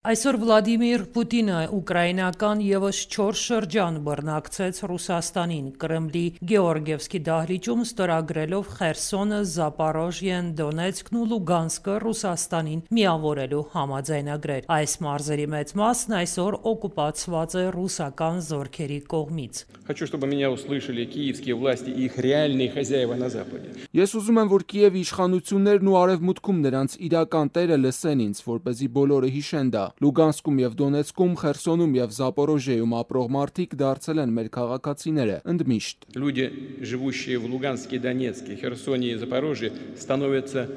Այսօր Վլադիմիր Պուտինը ուկրաինական ևս 4 շրջան բռնակցեց Ռուսաստանին, Կրեմլի Գեորգիևսկի դահլիճում ստորագրելով Խերսոնը, Զապորոժիեն, Դոնեցկն ու Լուգանսկը Ռուսաստանին միավորելու համաձայնագրեր։ Այս մարզերի մեծ մասն այսօր օկուպացված է ռուսական զորքերի կողմից։ Хочу, чтобы меня услышали киевские власти и их реальные хозяева на Западе. Ես ուզում եմ, որ Կիևի իշխանություններն ու արևմուտքում նրանց իրական տերը լսեն ինձ, որպեսզի բոլորը հիշեն դա։ Լուգանսկում եւ Դոնեցկում, Խերսոնում եւ Զապորոժիեում ապրող մարդիկ դարձել են մեր քաղաքացիները, ընդմիշտ։ Люди, живущие в Луганске, Донецке, Херсоне и Запорожье, становятся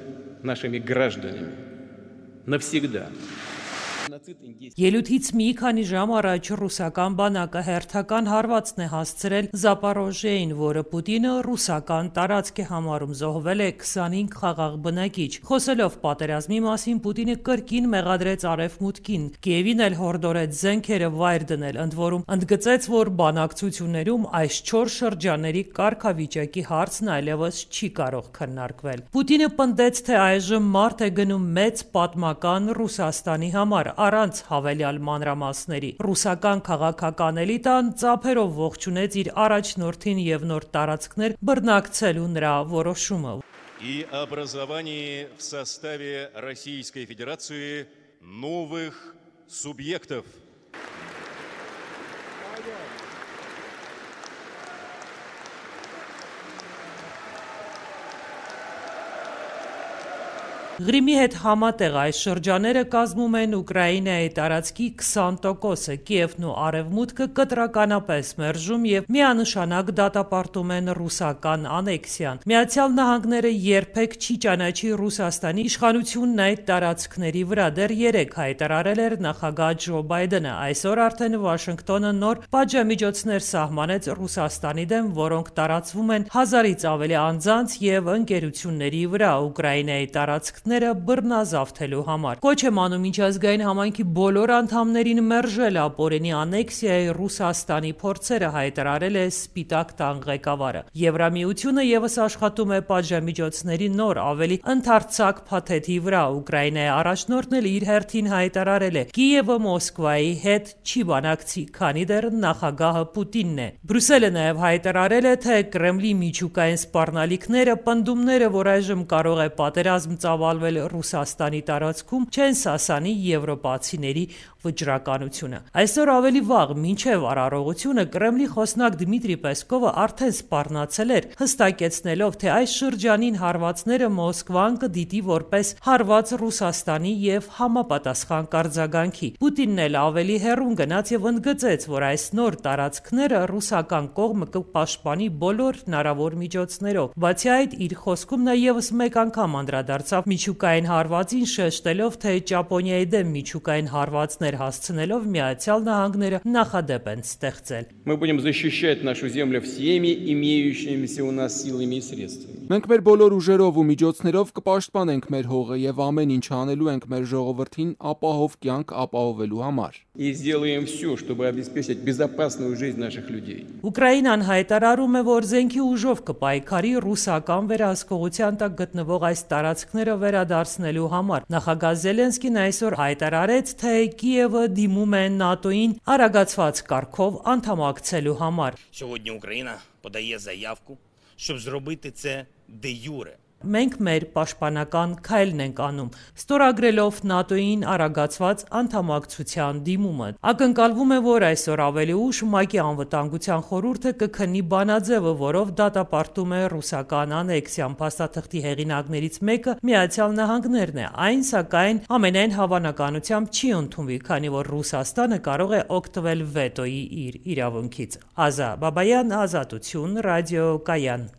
нашими гражданами навсегда. Ելույթից մի քանի ժամ առաջ ռուսական բանակը հերթական հարվածն է հասցրել Զապորոժիեին, որը Պուտինը ռուսական տարածք է համարում, զոհվել է 25 խաղաղ բնակիչ։ Խոսելով պատերազմի մասին, Պուտինը կրկին մեղադրեց արևմուտքին, Կիևին էլ հորդորեց զենքերը վայր դնել, ընդ որում ընդգծեց, որ բանակցություններում այս 4 շրջանների կարգավիճակի հարցն այլևս չի կարող քննարկվել։ Պուտինը պնդեց, թե այժմ մարդ է գնում մեծ պատմական Ռուսաստանի համար, առանց հավելյալ մանրամասների։ Ռուսական քաղաքական էլիտան ծափերով ողջունեց իր առաջնորդին եւ նոր տարածքներ բռնակցելու նրա որոշումը։ И образование в составе Российской Федерации новых субъектов. Ղրիմի հետ համատեղ այս շրջանները կազմում են Ուկրաինայի տարածքի 20%-ը, Կիևն ու Արևմուտքը կտրականապես մերժում եւ միանշանակ դատապարտում են ռուսական անեքսիան։ Միացյալ Նահանգները երբեք չի ճանաչի Ռուսաստանի իշխանությունն այդ տարածքների վրա, դեռ 3 հայտարարել էր նախագահ Ջո Բայդենը։ Այսօր արդեն Վաշինգտոնը նոր պատժամիջոցներ սահմանեց Ռուսաստանի դեմ, որոնք տարածվում են 1000-ից ավելի անձանց եւ ընկերությունների վրա Ուկրաինայի տարածքները բռնազավթելու համար։ Կոչ եմ անում միջազգային համայնքի բոլոր անդամներին մերժել ապօրինի անեքսիայի Ռուսաստանի փորձերը, հայտարարել է Սպիտակ տան ղեկավարը։ Եվրամիությունը եւս աշխատում է պատժամիջոցների նոր, ավելի ընդարձակ փաթեթի վրա։ Ուկրաինայի առաջնորդն էլ իր հերթին հայտարարել է. Կիևը Մոսկվայի հետ չի բանակցի, քանի դեռ նախագահը Պուտինն է։ Բրյուսելը նաեւ հայտարարել է, թե Կրեմլի միջուկային սպառնալիքները, պնդումները, որ այժմ կարող է պատերազմ ծավալվել Ռուսաստանի տարածքում, չեն սասանի եվրոպացիների վճռականությունը։ Այսօր ավելի վաղ, մինչև արարողությունը, Կրեմլի խոսնակ Դմիտրի Պեսկովը արդեն սպառնացել էր, հստակեցնելով, թե այս շրջանին հարվածները Մոսկվան կդիտի որպես հարված Ռուսաստանի եւ համապատասխան կարձագանքի։ Պուտինն էլ ավելի հեռուն գնաց եւ ընդգծեց, որ այս նոր տարածքները ռուսական կողմը կպաշտպանի բոլոր հնարավոր միջոցներով։ Բացի այդ, իր խոսքում նա եւս մեկ անգամ անդրադարձավ միջուկային հարվածին, շեշտելով, թե Ճապոնիայի դեմ միջուկային հարվածներ հասցնելով Միացյալ Նահանգները նախադեպ են ստեղծել։ Мы будем защищать нашу землю всеми имеющимися у нас силами и средствами. Մենք մեր բոլոր ուժերով ու միջոցներով կպաշտպանենք մեր հողը եւ ամեն ինչ անելու ենք մեր ժողովրդին ապահով կյանք ապահովելու համար։ И сделаем все, чтобы обеспечить безопасную жизнь наших людей. Ուկրաինան հայտարարում է, որ զենքի ուժով կպայքարի ռուսական վերահսկողության տակ գտնվող այս տարածքները վերադարձնելու համար։ Նախագահ Զելենսկին այսօր հայտարարեց, թե Կիևը դիմում է ՆԱՏՕ-ին արագացված կարգով անդամակցելու համար։ Сьогодні Україна подає заявку, щоб зробити це де-юре. Մենք մեր պաշտպանական քայլն ենք անում, ստորագրելով ՆԱՏՕ-ին արագացված անդամակցության դիմումը։ Ակնկալվում է, որ այսօր ավելի ուշ ՄԱԿ-ի անվտանգության խորհուրդը կքննի բանաձևը, որով դատապարտում է ռուսական անեքսիան։ Փաստաթղթի հեղինակներից մեկը Միացյալ Նահանգներն է։ Այն, սակայն, ամենայն հավանականությամբ չի ընդունվի, քանի որ Ռուսաստանը կարող է օգտվել վետոյի իր իրավունքից։ Ազա Բաբայան, Ազատություն, Ռադիո Կայան։